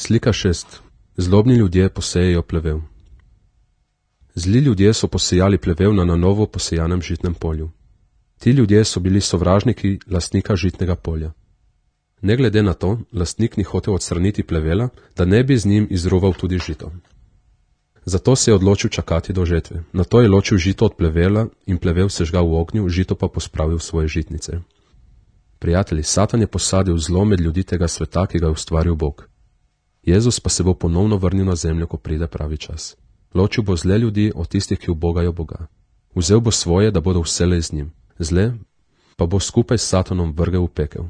Slika 6. Zlobni ljudje posejejo plevel. Zli ljudje so posejali plevel na novo posejanem žitnem polju. Ti ljudje so bili sovražniki lastnika žitnega polja. Ne glede na to, lastnik ni hotel odstraniti plevela, da ne bi z njim izruval tudi žito. Zato se je odločil čakati do žetve. Nato je ločil žito od plevela in plevel sežgal v ognju, žito pa pospravil v svoje žitnice. Prijatelji, Satan je posadil zlo med ljudi tega sveta, ki ga je ustvaril Bog. Jezus pa se bo ponovno vrnil na zemljo, ko pride pravi čas. Ločil bo zle ljudi od tistih, ki ubogajo Boga. Vzel bo svoje, da bodo vselej z njim. Zle pa bo skupaj s Satanom vrgel v pekel.